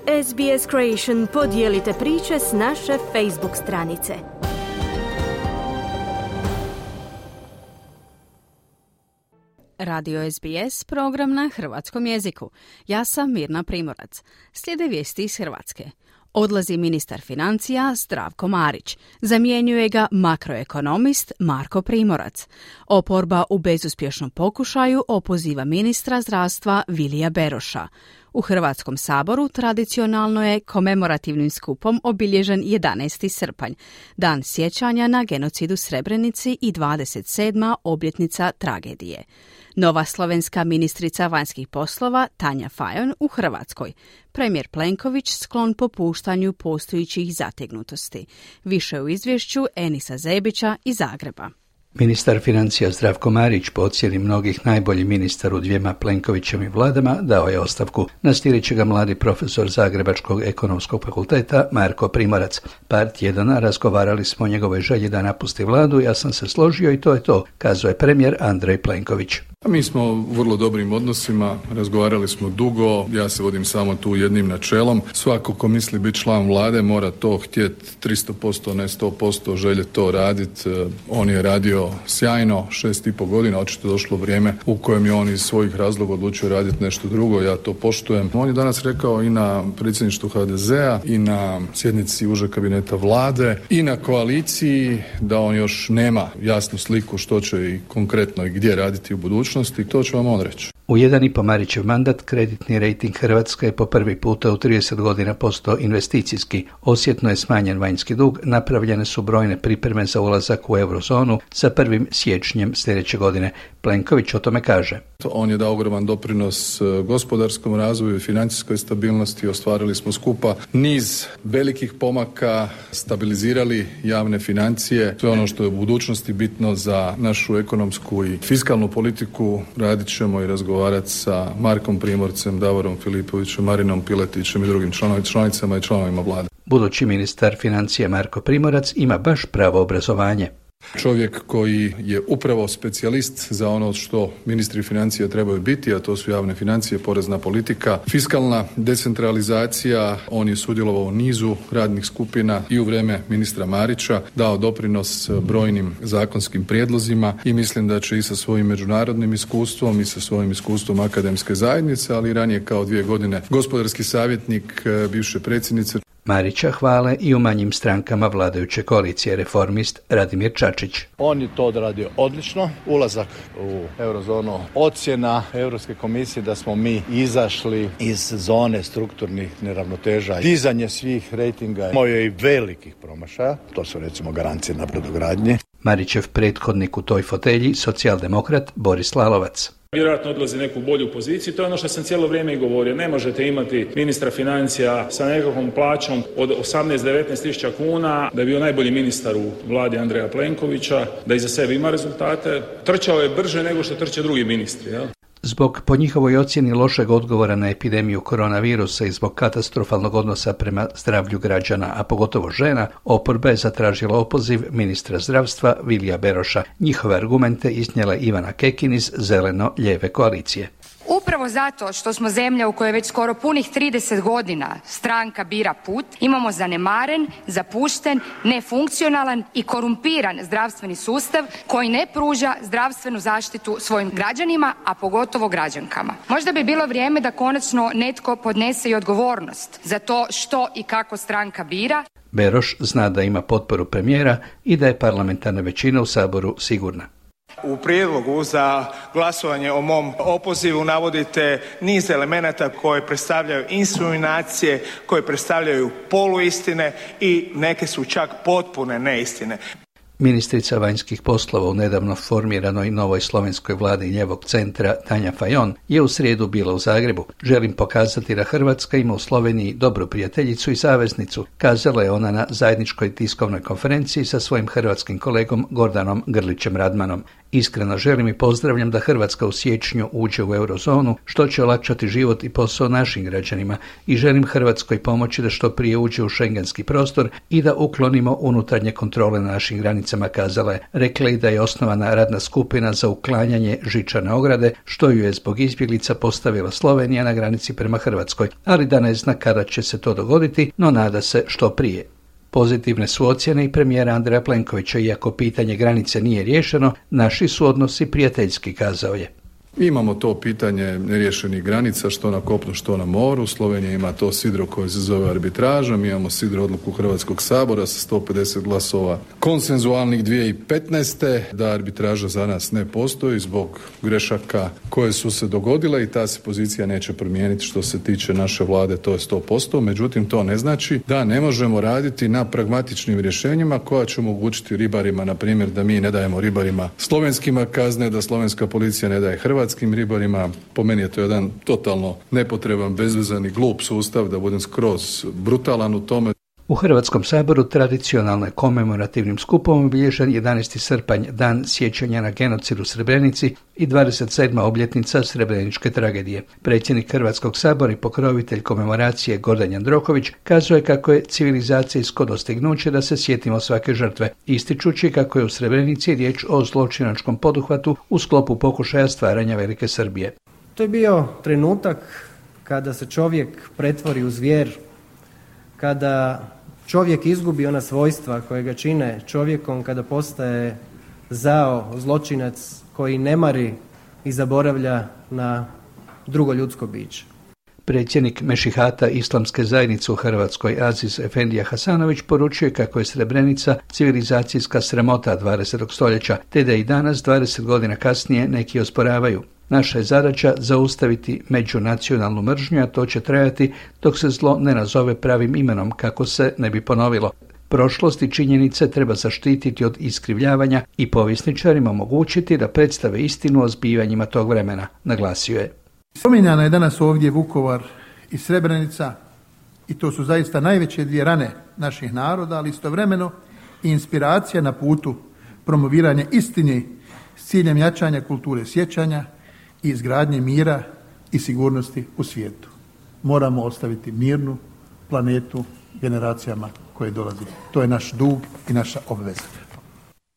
SBS Creation podijelite priče s naše Facebook stranice. Radio SBS, program na hrvatskom jeziku. Ja sam Mirna Primorac. Slijede vijesti iz Hrvatske. Odlazi ministar financija Zdravko Marić. Zamjenjuje ga makroekonomist Marko Primorac. Oporba u bezuspješnom pokušaju opoziva ministra zdravstva Vilija Beroša. U Hrvatskom saboru tradicionalno je komemorativnim skupom obilježen 11. srpanj, dan sjećanja na genocid u Srebrenici i 27. obljetnica tragedije. Nova slovenska ministrica vanjskih poslova Tanja Fajon u Hrvatskoj. Premijer Plenković sklon popuštanju postojećih zategnutosti. Više u izvješću Enisa Zebića iz Zagreba. Ministar financija Zdravko Marić, po ocjeni mnogih najbolji ministar u dvijema Plenkovićevim vladama, dao je ostavku. Nastirit će ga mladi profesor Zagrebačkog ekonomskog fakulteta Marko Primorac. Par tjedana razgovarali smo o njegovoj želji da napusti vladu, ja sam se složio i to je to, kazao je premijer Andrej Plenković. Mi smo u vrlo dobrim odnosima, razgovarali smo dugo, ja se vodim samo tu jednim načelom. Svako ko misli biti član vlade mora to htjeti 300%, ne 100%, želje to raditi. On je radio sjajno 6,5 godina, očito došlo vrijeme u kojem je on iz svojih razloga odlučio raditi nešto drugo, ja to poštujem. On je danas rekao i na predsjedništvu HDZ-a i na sjednici užeg kabineta vlade i na koaliciji da on još nema jasnu sliku što će i konkretno i gdje raditi u budućnosti. To ću vam on reći. U 1,5 Marićev mandat kreditni rejting Hrvatske je po prvi puta u 30 godina postao investicijski. Osjetno je smanjen vanjski dug, napravljene su brojne pripreme za ulazak u eurozonu sa 1. siječnjem sljedeće godine. Plenković o tome kaže. On je dao ogroman doprinos gospodarskom razvoju i financijskoj stabilnosti. Ostvarili smo skupa niz velikih pomaka, stabilizirali javne financije. Sve ono što je u budućnosti bitno za našu ekonomsku i fiskalnu politiku radit ćemo i razgovarati sa Markom Primorcem, Davorom Filipovićem, Marinom Piletićem i drugim članicama i članovima vlade. Budući ministar financija Marko Primorac ima baš pravo obrazovanje. Čovjek koji je upravo specijalist za ono što ministri financija trebaju biti, a to su javne financije, porezna politika, fiskalna decentralizacija. On je sudjelovao u nizu radnih skupina i u vrijeme ministra Marića, dao doprinos brojnim zakonskim prijedlozima i mislim da će i sa svojim međunarodnim iskustvom i sa svojim iskustvom akademske zajednice, ali i ranije kao 2 godine gospodarski savjetnik bivše predsjednice. Marića hvale i u manjim strankama vladajuće koalicije Reformist Radimir Čačić. On je to odradio odlično. Ulazak u eurozonu, ocjena Europske komisije da smo mi izašli iz zone strukturnih neravnoteža, dizanje svih rejtinga, imao je i velikih promašaja, to su recimo garancije na brodogradnji. Marićev prethodnik u toj fotelji, socijaldemokrat Boris Lalovac. Vjerojatno odlazi neku bolju poziciju, to je ono što sam cijelo vrijeme i govorio. Ne možete imati ministra financija sa nekakvom plaćom od 18-19 tisuća kuna, da je bio najbolji ministar u vladi Andreja Plenkovića, da iza sebe ima rezultate. Trčao je brže nego što trče drugi ministri. Ja? Zbog po njihovoj ocjeni lošeg odgovora na epidemiju koronavirusa i zbog katastrofalnog odnosa prema zdravlju građana, a pogotovo žena, oporba je zatražila opoziv ministra zdravstva Vilija Beroša. Njihove argumente iznijela Ivana Kekin iz Zeleno-lijeve koalicije. Upravo zato što smo zemlja u kojoj već skoro punih 30 godina stranka bira put, imamo zanemaren, zapušten, nefunkcionalan i korumpiran zdravstveni sustav koji ne pruža zdravstvenu zaštitu svojim građanima, a pogotovo građankama. Možda bi bilo vrijeme da konačno netko podnese i odgovornost za to što i kako stranka bira. Beroš zna da ima potporu premijera i da je parlamentarna većina u Saboru sigurna. U prijedlogu za glasovanje o mom opozivu navodite niz elemenata koje predstavljaju insinuacije, koje predstavljaju poluistine i neke su čak potpune neistine. Ministrica vanjskih poslova u nedavno formiranoj novoj slovenskoj vladi lijevog centra Tanja Fajon je u srijedu bila u Zagrebu. Želim pokazati da Hrvatska ima u Sloveniji dobru prijateljicu i saveznicu, kazala je ona na zajedničkoj tiskovnoj konferenciji sa svojim hrvatskim kolegom Gordanom Grlićem Radmanom. Iskreno želim i pozdravljam da Hrvatska u siječnju uđe u eurozonu, što će olakšati život i posao našim građanima, i želim Hrvatskoj pomoći da što prije uđe u šengenski prostor i da uklonimo unutarnje kontrole na našim granicama, kazala je. Rekla i da je osnovana radna skupina za uklanjanje žičane ograde, što ju je zbog izbjeglica postavila Slovenija na granici prema Hrvatskoj, ali da ne zna kada će se to dogoditi, no nada se što prije. Pozitivne su ocjene i premijera Andreja Plenkovića, iako pitanje granice nije riješeno, naši su odnosi prijateljski, kazao je. Imamo to pitanje neriješenih granica, što na kopnu, što na moru. Slovenija ima to sidro koje se zove arbitraža. Mi imamo sidro odluku Hrvatskog sabora sa 150 glasova konsenzualnih 2015. da arbitraža za nas ne postoji zbog grešaka koje su se dogodile i ta se pozicija neće promijeniti što se tiče naše vlade, to je 100%. Međutim, to ne znači da ne možemo raditi na pragmatičnim rješenjima koja će omogućiti ribarima, na primjer, da mi ne dajemo ribarima slovenskima kazne, da slovenska policija ne daje hrvatskim ribarima. Po meni je to jedan totalno nepotreban, bezvezan i glup sustav, da budem skroz brutalan u tome. U Hrvatskom saboru tradicionalno je komemorativnim skupom obilježen 11. srpanj, dan sjećanja na genocid u Srebrenici i 27. obljetnica Srebreničke tragedije. Predsjednik Hrvatskog sabora i pokrovitelj komemoracije Gordan Jandroković kazuje kako je civilizacijsko dostignuće da se sjetimo svake žrtve, ističući kako je u Srebrenici riječ o zločinačkom poduhvatu u sklopu pokušaja stvaranja Velike Srbije. To je bio trenutak kada se čovjek pretvori u zvijer, kada čovjek izgubi ona svojstva koje ga čine čovjekom, kada postaje zao, zločinac koji ne mari i zaboravlja na drugo ljudsko biće. Predsjednik Mešihata Islamske zajednice u Hrvatskoj Aziz Efendija Hasanović poručuje kako je Srebrenica civilizacijska sramota 20. stoljeća, te da i danas, 20 godina kasnije, neki osporavaju. Naša je zadaća zaustaviti međunacionalnu mržnju, a to će trajati dok se zlo ne nazove pravim imenom, kako se ne bi ponovilo. Prošlost i činjenice treba zaštititi od iskrivljavanja i povjesničarima omogućiti da predstave istinu o zbivanjima tog vremena, naglasio je. Spominjana je danas ovdje Vukovar i Srebrenica i to su zaista najveće dvije rane naših naroda, ali istovremeno i inspiracija na putu promoviranja istine s ciljem jačanja kulture sjećanja i izgradnje mira i sigurnosti u svijetu. Moramo ostaviti mirnu planetu generacijama koje dolaze. To je naš dug i naša obveza.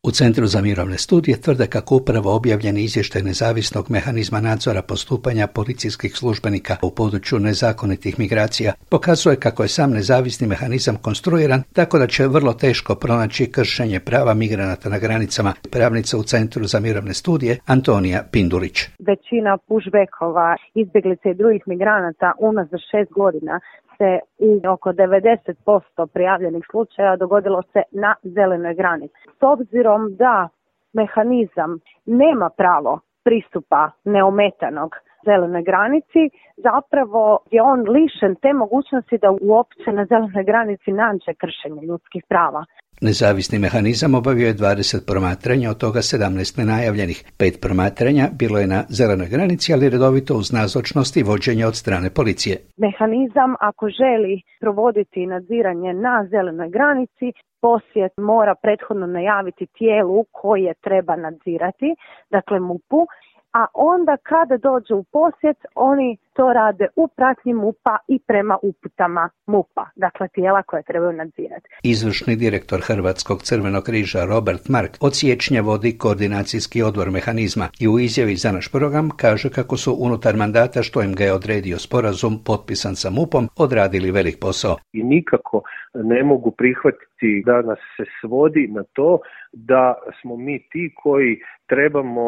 U Centru za mirovne studije tvrde kako upravo objavljeni izvještaj nezavisnog mehanizma nadzora postupanja policijskih službenika u području nezakonitih migracija pokazuje kako je sam nezavisni mehanizam konstruiran tako da će vrlo teško pronaći kršenje prava migranata na granicama. Pravnica u Centru za mirovne studije Antonija Pindulić. Većina pushbackova, izbjeglica i drugih migranata unazad 6 godina se u oko 90% prijavljenih slučaja dogodilo se na zelenoj granici. S obzirom da mehanizam nema pravo pristupa neometanog zelenoj granici, zapravo je on lišen te mogućnosti da uopće na zelenoj granici nađe kršenje ljudskih prava. Nezavisni mehanizam obavio je 20 promatranja, od toga 17 nenajavljenih. 5 promatranja bilo je na zelenoj granici, ali redovito uz nazočnost i vođenje od strane policije. Mehanizam, ako želi provoditi nadziranje na zelenoj granici, posjet mora prethodno najaviti tijelu koje treba nadzirati, dakle MUP-u, a onda kada dođe u posjet, oni to rade u pratnji MUP-a i prema uputama MUP-a, dakle tijela koje trebaju nadzirati. Izvršni direktor Hrvatskog Crvenog križa Robert Mark od siječnja vodi koordinacijski odbor mehanizma i u izjavi za naš program kaže kako su unutar mandata što im ga je odredio sporazum potpisan sa MUP-om odradili velik posao. I nikako ne mogu prihvatiti da nas se svodi na to da smo mi ti koji trebamo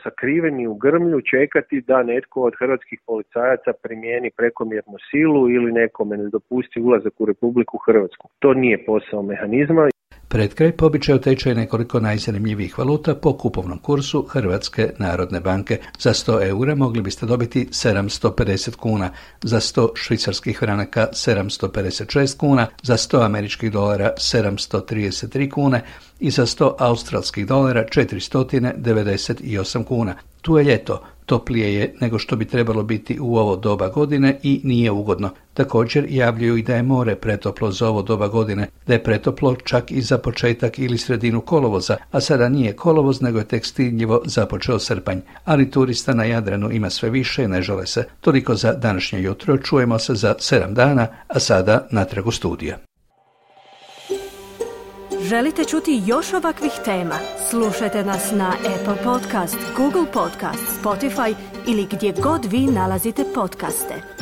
sakriveni u grmlju čekati da netko od hrvatskih policajaca primijeni prekomjernu silu ili nekome ne dopusti ulazak u Republiku Hrvatsku. To nije posao mehanizma. Pred kraj po običaju tečaj nekoliko najzanimljivijih valuta po kupovnom kursu Hrvatske narodne banke. Za 100 eura mogli biste dobiti 750 kuna, za 100 švicarskih franaka 756 kuna, za 100 američkih dolara 733 kune i za 100 australskih dolara 498 kuna. Tu je ljeto, toplije je nego što bi trebalo biti u ovo doba godine i nije ugodno. Također javljaju i da je more pretoplo za ovo doba godine, da je pretoplo čak i za početak ili sredinu kolovoza, a sada nije kolovoz nego je tek stidljivo započeo srpanj. Ali turista na Jadranu ima sve više, ne žale se. Toliko za današnje jutro, čujemo se za 7 dana, a sada natrag u studija. Želite čuti još ovakvih tema? Slušajte nas na Apple Podcast, Google Podcast, Spotify ili gdje god vi nalazite podcaste.